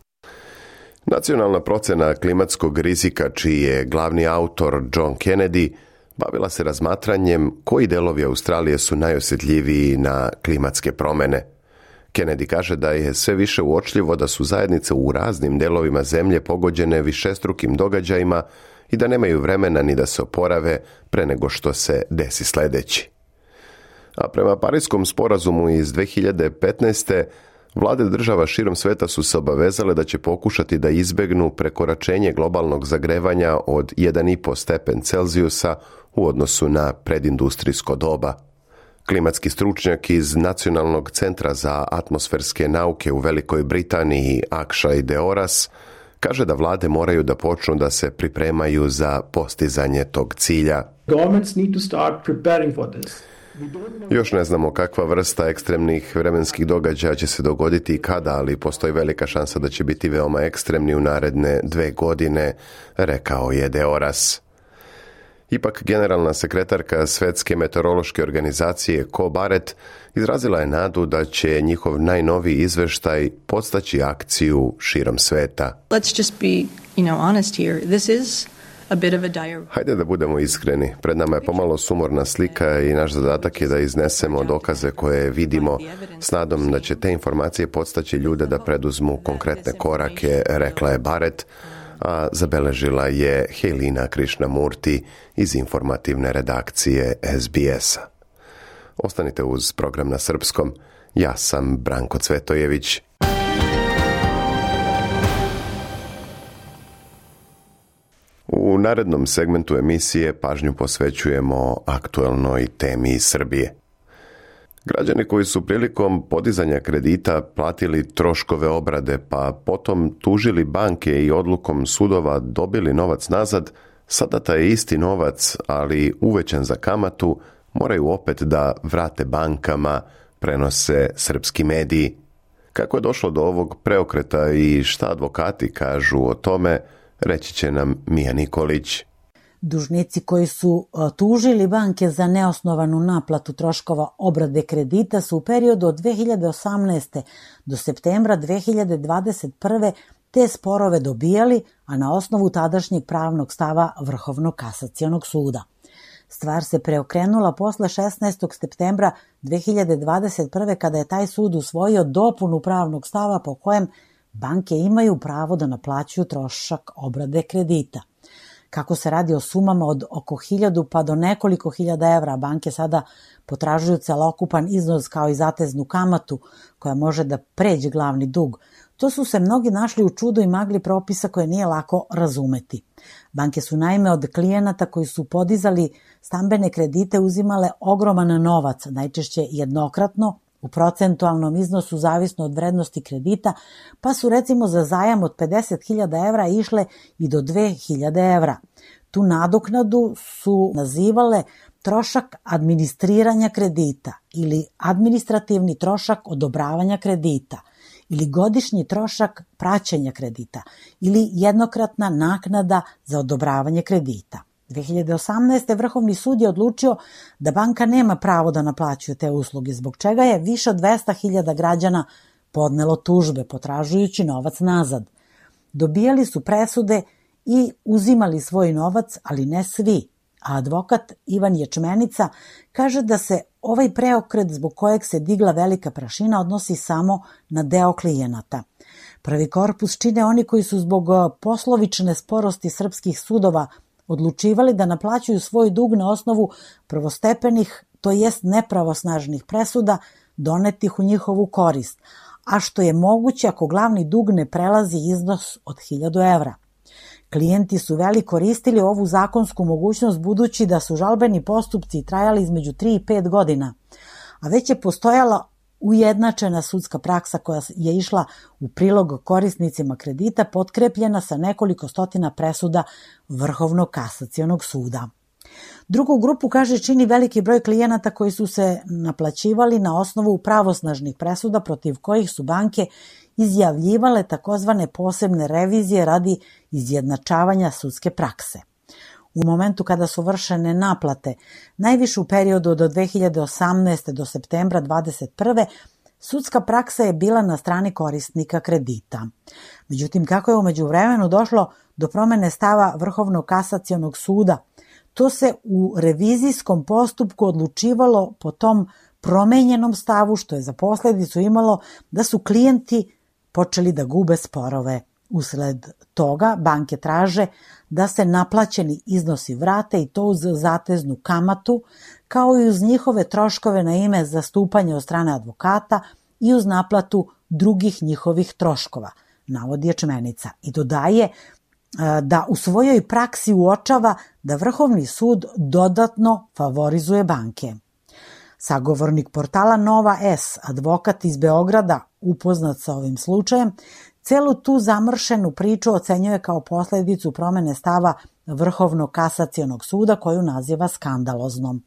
Nacionalna procena klimatskog rizika, čiji je glavni autor John Kennedy, bavila se razmatranjem koji delovi Australije su najosjetljiviji na klimatske promjene. Kennedy kaže da je sve više uočljivo da su zajednice u raznim delovima zemlje pogođene višestrukim događajima i da nemaju vremena ni da se oporave pre nego što se desi sljedeći. A prema Parijskom sporazumu iz 2015. vlade država širom sveta su se obavezale da će pokušati da izbegnu prekoračenje globalnog zagrevanja od 1,5 stepen Celzijusa u odnosu na predindustrijsko doba. Klimatski stručnjak iz Nacionalnog centra za atmosferske nauke u Velikoj Britaniji, Akshay Deoras, kaže da vlade moraju da počnu da se pripremaju za postizanje tog cilja. Governments need to start preparing for this. Još ne znamo kakva vrsta ekstremnih vremenskih događaja će se dogoditi i kada, ali postoji velika šansa da će biti veoma ekstremni u naredne 2 godine, rekao je Deoras. Ipak, generalna sekretarka Svetske meteorološke organizacije Ko Barrett izrazila je nadu da će njihov najnoviji izveštaj podstaći akciju širom sveta. Let's just be, honest here. This is a bit of a dire... Hajde da budemo iskreni. Pred nama je pomalo sumorna slika i naš zadatak je da iznesemo dokaze koje vidimo s nadom da će te informacije podstaći ljude da preduzmu konkretne korake, rekla je Barrett, a zabeležila je Helina Krishnamurti iz informativne redakcije SBS-a. Ostanite uz program na srpskom. Ja sam Branko Cvetojević. U narednom segmentu emisije pažnju posvećujemo aktuelnoj temi iz Srbije. Građani koji su prilikom podizanja kredita platili troškove obrade pa potom tužili banke i odlukom sudova dobili novac nazad, sada taj isti novac, ali uvećan za kamatu, moraju opet da vrate bankama, prenose srpski mediji. Kako je došlo do ovog preokreta i šta advokati kažu o tome, reći će nam Mija Nikolić. Dužnici koji su tužili banke za neosnovanu naplatu troškova obrade kredita su u periodu od 2018. do septembra 2021. te sporove dobijali, a na osnovu tadašnjeg pravnog stava Vrhovnog kasacionog suda. Stvar se preokrenula posle 16. septembra 2021. kada je taj sud usvojio dopunu pravnog stava po kojem banke imaju pravo da naplaćuju trošak obrade kredita. Kako se radi o sumama od oko 1000 pa do nekoliko hiljada evra, banke sada potražuju celokupan iznos kao i zateznu kamatu koja može da pređe glavni dug. To su se mnogi našli u čudu i magli propisa koje nije lako razumeti. Banke su naime od klijenata koji su podizali stambene kredite uzimale ogroman novac, najčešće jednokratno, u procentualnom iznosu zavisno od vrednosti kredita, pa su recimo za zajam od 50.000 evra išle i do 2.000 evra. Tu nadoknadu su nazivale trošak administriranja kredita ili administrativni trošak odobravanja kredita ili godišnji trošak praćenja kredita ili jednokratna naknada za odobravanje kredita. 2018. Vrhovni sud je odlučio da banka nema pravo da naplaćuje te usluge, zbog čega je više od 200.000 građana podnelo tužbe potražujući novac nazad. Dobijali su presude i uzimali svoj novac, ali ne svi. A advokat Ivan Ječmenica kaže da se ovaj preokret zbog kojeg se digla velika prašina odnosi samo na deo klijenata. Prvi korpus čine oni koji su zbog poslovične sporosti srpskih sudova odlučivali da naplaćuju svoj dug na osnovu prvostepenih, to jest nepravosnažnih presuda donetih u njihovu korist, a što je moguće ako glavni dug ne prelazi iznos od 1000 evra. Klijenti su veliko koristili ovu zakonsku mogućnost budući da su žalbeni postupci trajali između 3 i 5 godina, a već je postojala ujednačena sudska praksa koja je išla u prilog korisnicima kredita potkrepljena sa nekoliko stotina presuda Vrhovnog kasacionog suda. Drugu grupu, kaže, čini veliki broj klijenata koji su se naplaćivali na osnovu pravosnažnih presuda protiv kojih su banke izjavljivale takozvane posebne revizije radi izjednačavanja sudske prakse. U momentu kada su vršene naplate, najviše u periodu od 2018. do septembra 2021. sudska praksa je bila na strani korisnika kredita. Međutim, kako je u međuvremenu došlo do promene stava Vrhovnog kasacionog suda, to se u revizijskom postupku odlučivalo po tom promenjenom stavu, što je za posledicu imalo da su klijenti počeli da gube sporove. Usled toga banke traže da se naplaćeni iznosi vrate i to uz zateznu kamatu, kao i uz njihove troškove na ime zastupanja od strane advokata i uz naplatu drugih njihovih troškova, navodi Ječmenica. I dodaje da u svojoj praksi uočava da Vrhovni sud dodatno favorizuje banke. Sagovornik portala Nova S, advokat iz Beograda, upoznat sa ovim slučajem, celu tu zamršenu priču ocenjuje kao posledicu promene stava Vrhovnog kasacionog suda koju naziva skandaloznom.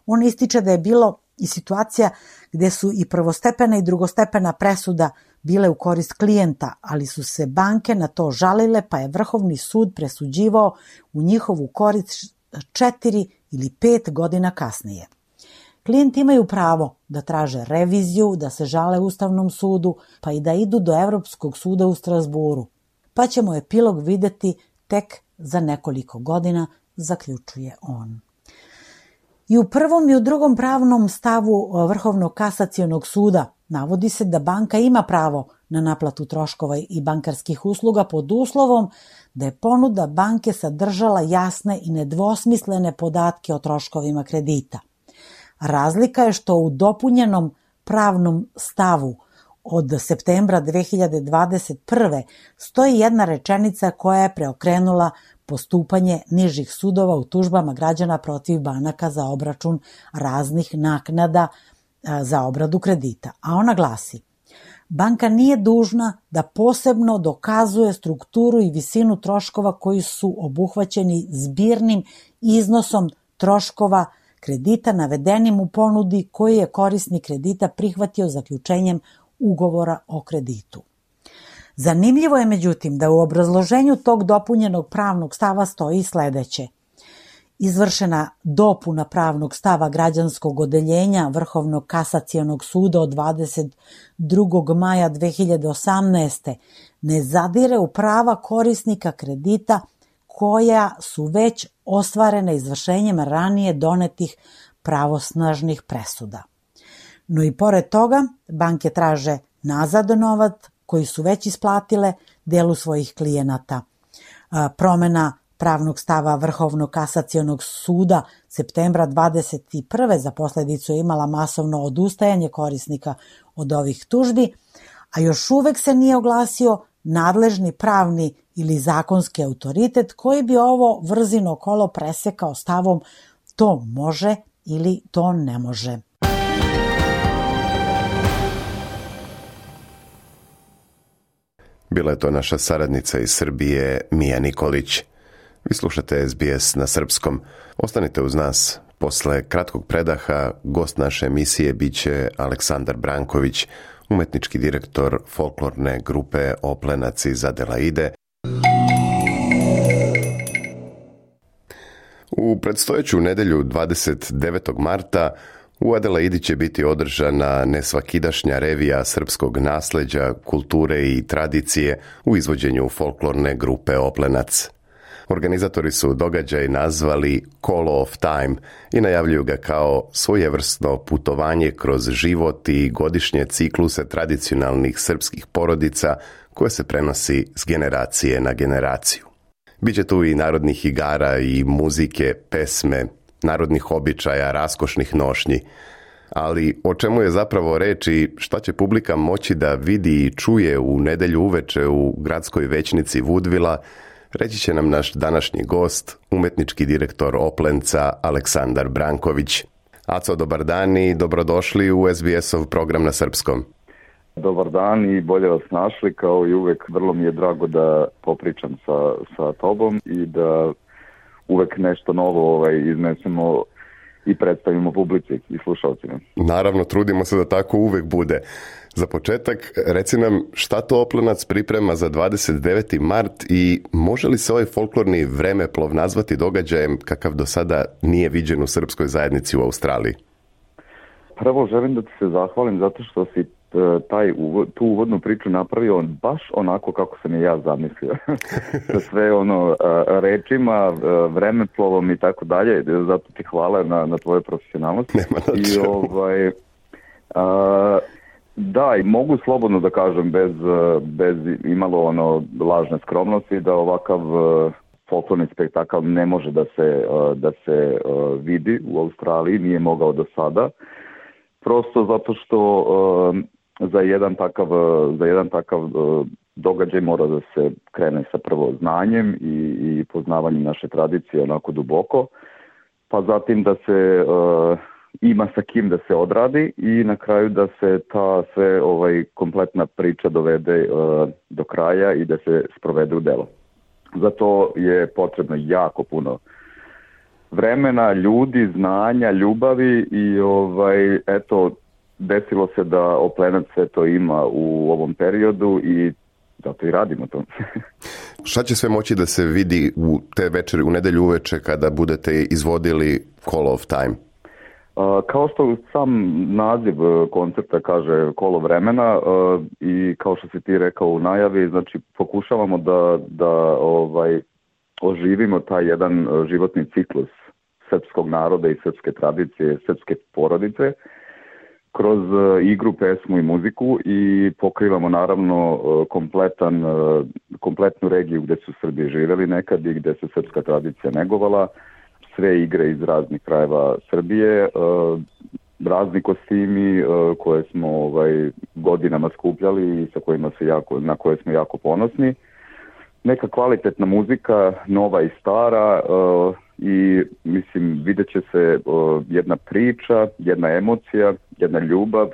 On ističe da je bilo i situacija gde su i prvostepena i drugostepena presuda bile u korist klijenta, ali su se banke na to žalile, pa je Vrhovni sud presuđivao u njihovu korist 4 ili 5 godina kasnije. Klijenti imaju pravo da traže reviziju, da se žale Ustavnom sudu, pa i da idu do Evropskog suda u Strasburu. Pa ćemo epilog videti tek za nekoliko godina, zaključuje on. I u prvom i u drugom pravnom stavu Vrhovnog kasacionog suda navodi se da banka ima pravo na naplatu troškova i bankarskih usluga pod uslovom da je ponuda banke sadržala jasne i nedvosmislene podatke o troškovima kredita. Razlika je što u dopunjenom pravnom stavu od septembra 2021. stoji jedna rečenica koja je preokrenula postupanje nižih sudova u tužbama građana protiv banaka za obračun raznih naknada za obradu kredita. A ona glasi: banka nije dužna da posebno dokazuje strukturu i visinu troškova koji su obuhvaćeni zbirnim iznosom troškova kredita navedenim u ponudi koji je korisnik kredita prihvatio zaključenjem ugovora o kreditu. Zanimljivo je međutim da u obrazloženju tog dopunjenog pravnog stava stoji sledeće: izvršena dopuna pravnog stava građanskog odeljenja Vrhovnog kasacionog suda od 22. maja 2018. ne zadire u prava korisnika kredita koja su već ostvarena izvršenjem ranije donetih pravosnažnih presuda. No i pored toga, banke traže nazad novac koji su već isplatile delu svojih klijenata. Promena pravnog stava Vrhovnog kasacionog suda septembra 2021. za posledicu je imala masovno odustajanje korisnika od ovih tužbi, a još uvek se nije oglasio nadležni pravni ili zakonski autoritet koji bi ovo vrzino kolo presekao stavom to može ili to ne može. Bila je to naša saradnica iz Srbije, Mija Nikolić. Vi slušate SBS na srpskom. Ostanite uz nas. Posle kratkog predaha gost naše emisije biće Aleksandar Branković, umetnički direktor folklorne grupe Oplenac iz Adelaide. U predstojeću nedelju 29. marta u Adelaidi će biti održana nesvakidašnja revija srpskog nasleđa, kulture i tradicije u izvođenju folklorne grupe Oplenac. Organizatori su događaj nazvali Call of Time i najavljuju ga kao svojevrsno putovanje kroz život i godišnje cikluse tradicionalnih srpskih porodica koje se prenosi s generacije na generaciju. Biće tu i narodnih igara i muzike, pesme, narodnih običaja, raskošnih nošnji. Ali o čemu je zapravo reč i šta će publika moći da vidi i čuje u nedelju uveče u gradskoj većnici Woodvilla, reći će nam naš današnji gost, umetnički direktor Oplenca Aleksandar Branković. Aco, dobar dan i dobrodošli u SBS-ov program na srpskom. Dobar dan i bolje vas našli, kao i uvek vrlo mi je drago da popričam sa tobom i da uvek nešto novo iznesemo i predstavimo publici i slušalcima. Naravno, trudimo se da tako uvek bude. Za početak, reci nam šta to Oplenac priprema za 29. mart i može li se ovaj folklorni vremeplov nazvati događajem kakav do sada nije viđen u srpskoj zajednici u Australiji? Prvo želim da ti se zahvalim zato što si tu uvodnu priču napravio baš onako kako sam i ja zamislio. Sa sve rečima, vremeplovom i tako dalje. Zato ti hvala na tvojoj profesionalnosti. Da, i mogu slobodno da kažem bez imalo lažne skromnosti da ovakav folklorni spektakl ne može da se vidi u Australiji, nije mogao do sada. Prosto zato što za jedan takav događaj mora da se krene sa prvo znanjem i poznavanjem naše tradicije onako duboko, pa zatim da se ima sa kim da se odradi i na kraju da se ta sve kompletna priča dovede do kraja i da se sprovede u delo. Zato je potrebno jako puno vremena, ljudi, znanja, ljubavi i desilo se da Oplenac sve to ima u ovom periodu i zato i radimo to. Šta će sve moći da se vidi u te večeri, u nedelju uveče kada budete izvodili Call of Time? Kao što sam naziv koncerta kaže Kolo vremena i kao što si ti rekao u najavi, znači pokušavamo da oživimo taj jedan životni ciklus srpskog naroda i srpske tradicije, srpske porodice kroz igru, pesmu i muziku i pokrivamo naravno kompletnu regiju gde su Srbi živeli nekad i gde se srpska tradicija negovala. Sve igre iz raznih krajeva Srbije, razni kostimi koje smo godinama skupljali i na koje smo jako ponosni. Neka kvalitetna muzika, nova i stara i mislim vidjet će se jedna priča, jedna emocija, jedna ljubav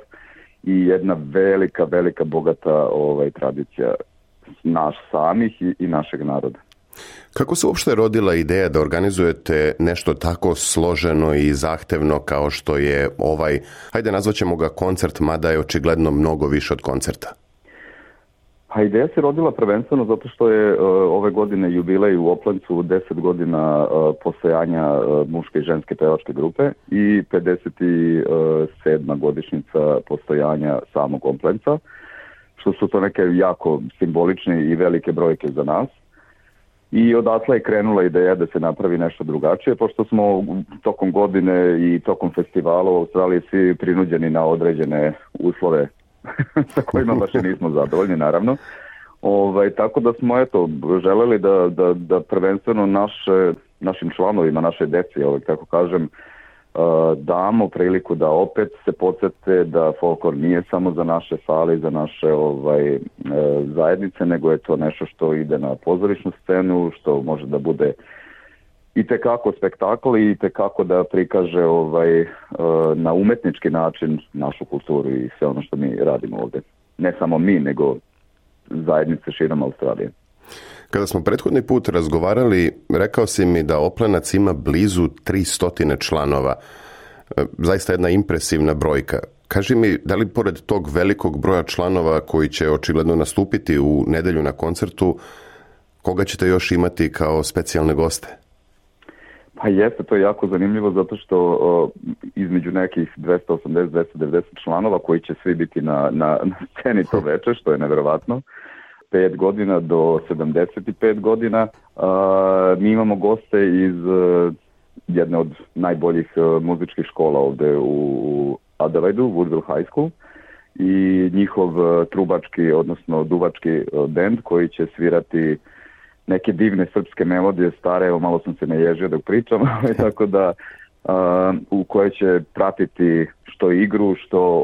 i jedna velika, velika bogata tradicija naš samih i našeg naroda. Kako se uopšte rodila ideja da organizujete nešto tako složeno i zahtevno kao što je hajde nazvaćemo ga koncert, mada je očigledno mnogo više od koncerta? A ideja se rodila prvenstveno zato što je ove godine jubilej u Oplencu 10 godina postojanja muške i ženske pevačke grupe i 57. godišnjica postojanja samog Oplenca, što su to neke jako simbolične i velike brojke za nas. I odatle je krenula ideja da se napravi nešto drugačije, pošto smo tokom godine i tokom festivala u Australiji svi prinuđeni na određene uslove sa kojima baš nismo zadovoljni, naravno. Tako da smo želeli da prvenstveno našim članovima, naše deci, tako kažem, damo priliku da opet se podsjete da folklor nije samo za naše sale i za naše zajednice, nego je to nešto što ide na pozorišnu scenu, što može da bude i tekako spektakl i tekako da prikaže na umetnički način našu kulturu i sve ono što mi radimo ovdje. Ne samo mi, nego zajednice širom Australije. Kada smo prethodni put razgovarali, rekao si mi da Oplenac ima blizu 300 članova. Zaista jedna impresivna brojka. Kaži mi, da li pored tog velikog broja članova koji će očigledno nastupiti u nedelju na koncertu, koga ćete još imati kao specijalne goste? Pa jeste, to je jako zanimljivo zato što između nekih 280-290 članova koji će svi biti na sceni to veče, što je neverovatno, 5 godina do 75 godina. Mi imamo goste iz jedne od najboljih muzičkih škola ovde u Adelaidu, Woodville High School, i njihov trubački, odnosno duvački bend koji će svirati neke divne srpske melodije, stare, evo malo sam se naježio dok pričam, tako da u kojoj će pratiti što igru, što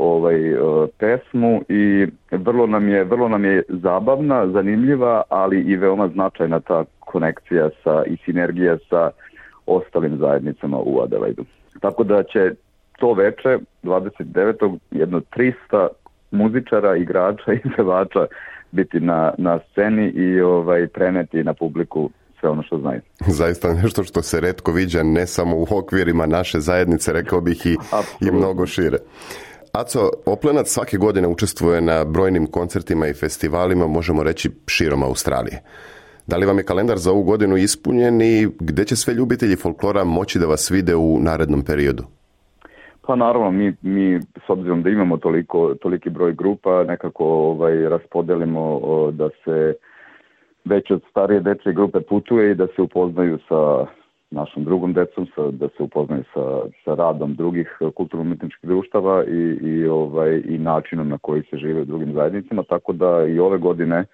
pesmu i vrlo nam je zabavna, zanimljiva, ali i veoma značajna ta konekcija i sinergija sa ostalim zajednicama u Adelaidu. Tako da će to veče, 29. jedno 300 muzičara, igrača i pevača biti na sceni i preneti na publiku sve ono što znaju. Zaista nešto što se retko viđa, ne samo u okvirima naše zajednice, rekao bih i mnogo šire. Aco, Oplenac svake godine učestvuje na brojnim koncertima i festivalima, možemo reći širom Australije. Da li vam je kalendar za ovu godinu ispunjen i gdje će sve ljubitelji folklora moći da vas vide u narednom periodu? Pa naravno, mi s obzirom da imamo toliki broj grupa, nekako raspodelimo da se već od starije dečje grupe putuje i da se upoznaju sa našom drugom decom, da se upoznaju sa radom drugih kulturno-umjetničkih društava i načinom na koji se žive u drugim zajednicama, tako da i ove godine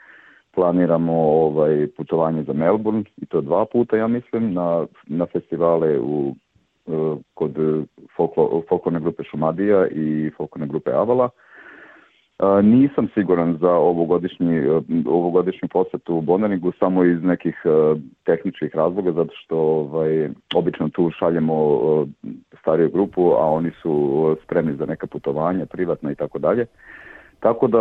planiramo putovanje za Melbourne, i to 2 puta, ja mislim, na festivale kod folklorne grupe Šumadija i folklorne grupe Avala. Nisam siguran za ovogodišnju posjetu u Bonneringu samo iz nekih tehničkih razloga, zato što obično tu šaljemo stariju grupu, a oni su spremni za neka putovanja, privatna i tako dalje. Tako da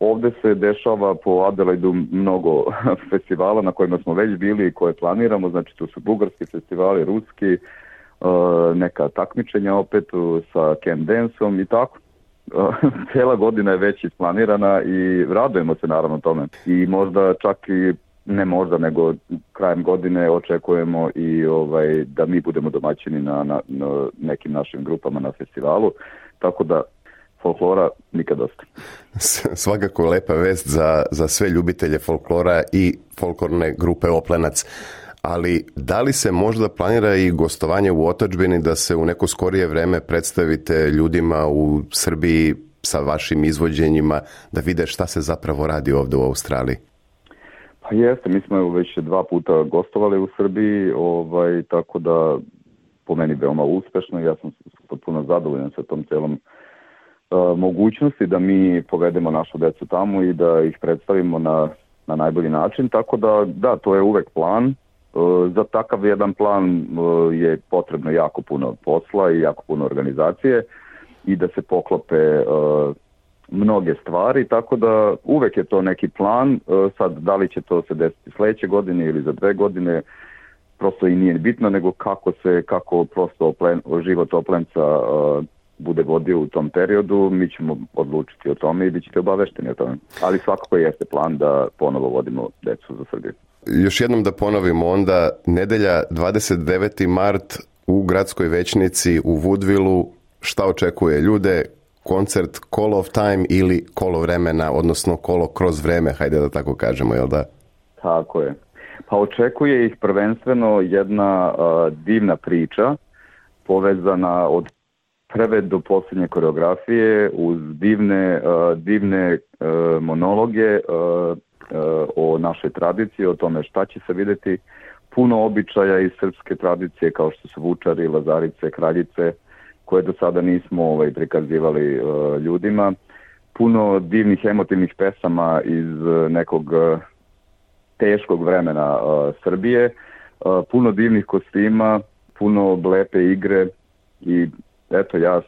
ovdje se dešava po Adelaidu mnogo festivala na kojima smo već bili i koje planiramo, znači tu su bugarski festivali, ruski, neka takmičenja opet sa Can Dance-om i tako. Cijela godina je već isplanirana i radujemo se naravno tome. I možda čak i, ne možda, nego krajem godine očekujemo i da mi budemo domaćini na nekim našim grupama na festivalu, tako da folklora nikad dosta. Svakako lepa vest za sve ljubitelje folklora i folklorne grupe Oplenac. Ali da li se možda planira i gostovanje u otadžbini, da se u neko skorije vreme predstavite ljudima u Srbiji sa vašim izvođenjima, da vide šta se zapravo radi ovdje u Australiji? Pa jeste, mi smo već 2 puta gostovali u Srbiji, tako da po meni veoma uspešno. Ja sam potpuno zadovoljan sa tom celom mogućnosti da mi povedemo našu decu tamo i da ih predstavimo na najbolji način, tako da, to je uvek plan. Za takav jedan plan je potrebno jako puno posla i jako puno organizacije i da se poklope mnoge stvari, tako da uvek je to neki plan. Sad, da li će to se desiti sljedeće godine ili za 2 godine, prosto i nije bitno, nego kako prosto život Oplenca bude vodio u tom periodu, mi ćemo odlučiti o tome i bit ćete obavešteni o tome. Ali svakako jeste plan da ponovo vodimo decu za Srbiju. Još jednom da ponovimo onda, nedelja 29. mart u gradskoj većnici u Woodvilleu, šta očekuje ljude? Koncert Call of Time ili kolo vremena, odnosno kolo kroz vreme, hajde da tako kažemo, jel da? Tako je. Pa očekuje ih prvenstveno jedna divna priča povezana od prve do posljednje koreografije uz divne monologe o našoj tradiciji, o tome šta će se vidjeti, puno običaja iz srpske tradicije kao što su vučari, lazarice, kraljice, koje do sada nismo prikazivali ljudima, puno divnih emotivnih pesama iz nekog teškog vremena Srbije, puno divnih kostima, puno lepe igre i eto, ja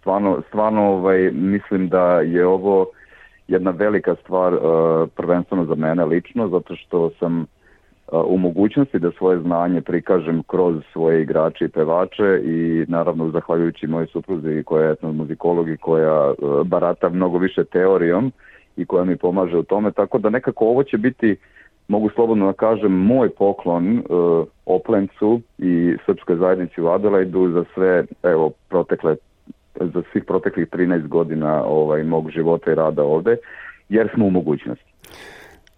stvarno mislim da je ovo jedna velika stvar, prvenstveno za mene lično, zato što sam u mogućnosti da svoje znanje prikažem kroz svoje igrače i pevače i naravno zahvaljujući mojoj supruzi koja je etnomuzikolog i koja barata mnogo više teorijom i koja mi pomaže u tome, tako da nekako ovo će biti, mogu slobodno da kažem, moj poklon Oplencu i srpskoj zajednici u Adelaidu za sve, za svih proteklih 13 godina mog života i rada ovde, jer smo u mogućnosti.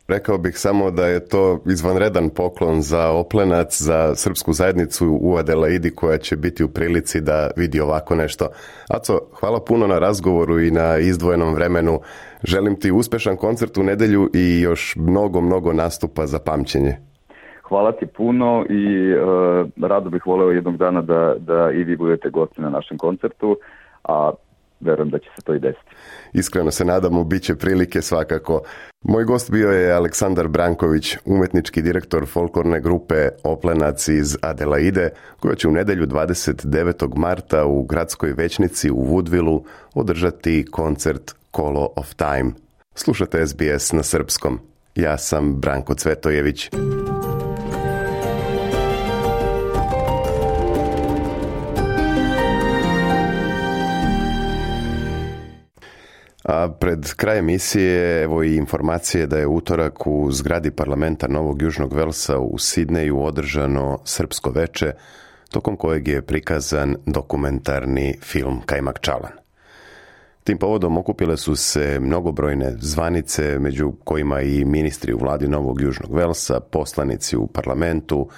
Rekao bih samo da je to izvanredan poklon za Oplenac, za srpsku zajednicu u Adelaidi koja će biti u prilici da vidi ovako nešto. Aco, hvala puno na razgovoru i na izdvojenom vremenu. Želim ti uspešan koncert u nedjelju i još mnogo nastupa za pamćenje. Hvala ti puno i rado bih voleo jednog dana da i vi budete gosti na našem koncertu, a verujem da će se to i desiti. Iskreno se nadamo, bit će prilike svakako. Moj gost bio je Aleksandar Branković, umetnički direktor folklorne grupe Oplenac iz Adelaide, koja će u nedjelju 29. marta u gradskoj većnici u Woodvilleu održati koncert Call of Time. Slušate SBS na srpskom. Ja sam Branko Cvetojević. A pred kraj emisije evo i informacije da je utorak u zgradi parlamenta Novog Južnog Velsa u Sidneju održano srpsko veče, tokom kojeg je prikazan dokumentarni film Kajmak Čalan. Tim povodom okupile su se mnogobrojne zvanice, među kojima i ministri u vladi Novog Južnog Velsa, poslanici u parlamentu,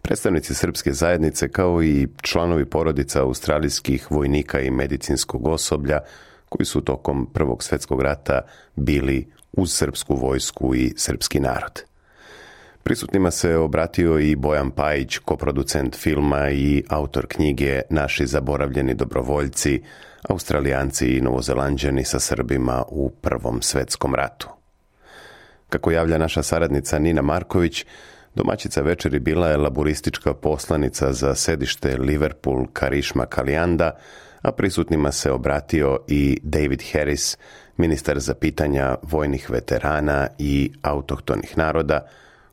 predstavnici srpske zajednice, kao i članovi porodica australijskih vojnika i medicinskog osoblja koji su tokom Prvog svjetskog rata bili uz srpsku vojsku i srpski narod. Prisutnima se obratio i Bojan Pajić, koproducent filma i autor knjige Naši zaboravljeni dobrovoljci, Australijanci i Novozelanđani sa Srbima u Prvom svjetskom ratu. Kako javlja naša saradnica Nina Marković, domaćica večeri bila je laboristička poslanica za sedište Liverpool Karišma Kalijanda, a prisutnima se obratio i David Harris, ministar za pitanja vojnih veterana i autohtonih naroda,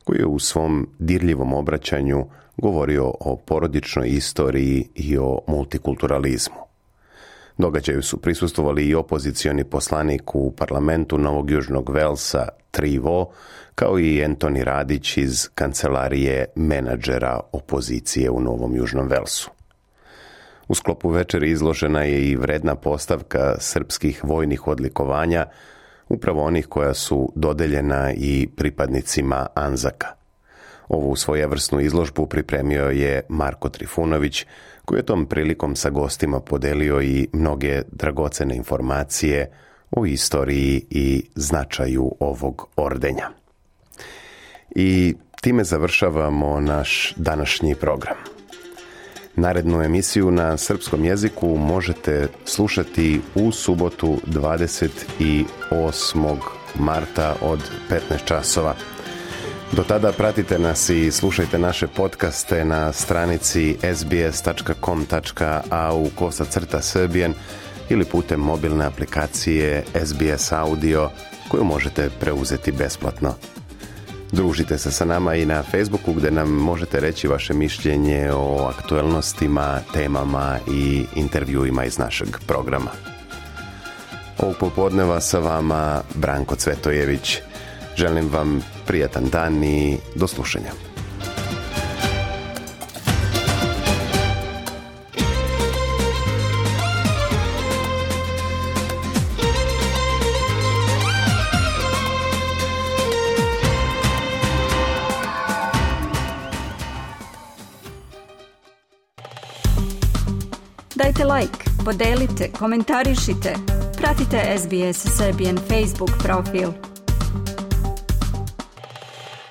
koji je u svom dirljivom obraćanju govorio o porodičnoj istoriji i o multikulturalizmu. Događaju su prisustvovali i opozicioni poslanik u parlamentu Novog Južnog Velsa Trivo, kao i Antoni Radić iz kancelarije menadžera opozicije u Novom Južnom Velsu. U sklopu večeri izložena je i vredna postavka srpskih vojnih odlikovanja, upravo onih koja su dodeljena i pripadnicima Anzaka. Ovu svojevrsnu izložbu pripremio je Marko Trifunović, koji je tom prilikom sa gostima podelio i mnoge dragocene informacije o istoriji i značaju ovog ordenja. I time završavamo naš današnji program. Narednu emisiju na srpskom jeziku možete slušati u subotu 28. marta od 15 časova. Do tada pratite nas i slušajte naše podcaste na stranici sbs.com.au/Serbian ili putem mobilne aplikacije SBS Audio koju možete preuzeti besplatno. Družite se sa nama i na Facebooku gdje nam možete reći vaše mišljenje o aktuelnostima, temama i intervjuima iz našeg programa. Ovog popodneva sa vama Branko Cvetojević. Želim vam prijatan dan i do slušanja. Dajte like, podelite, komentarišite, pratite SBS Serbian Facebook profil.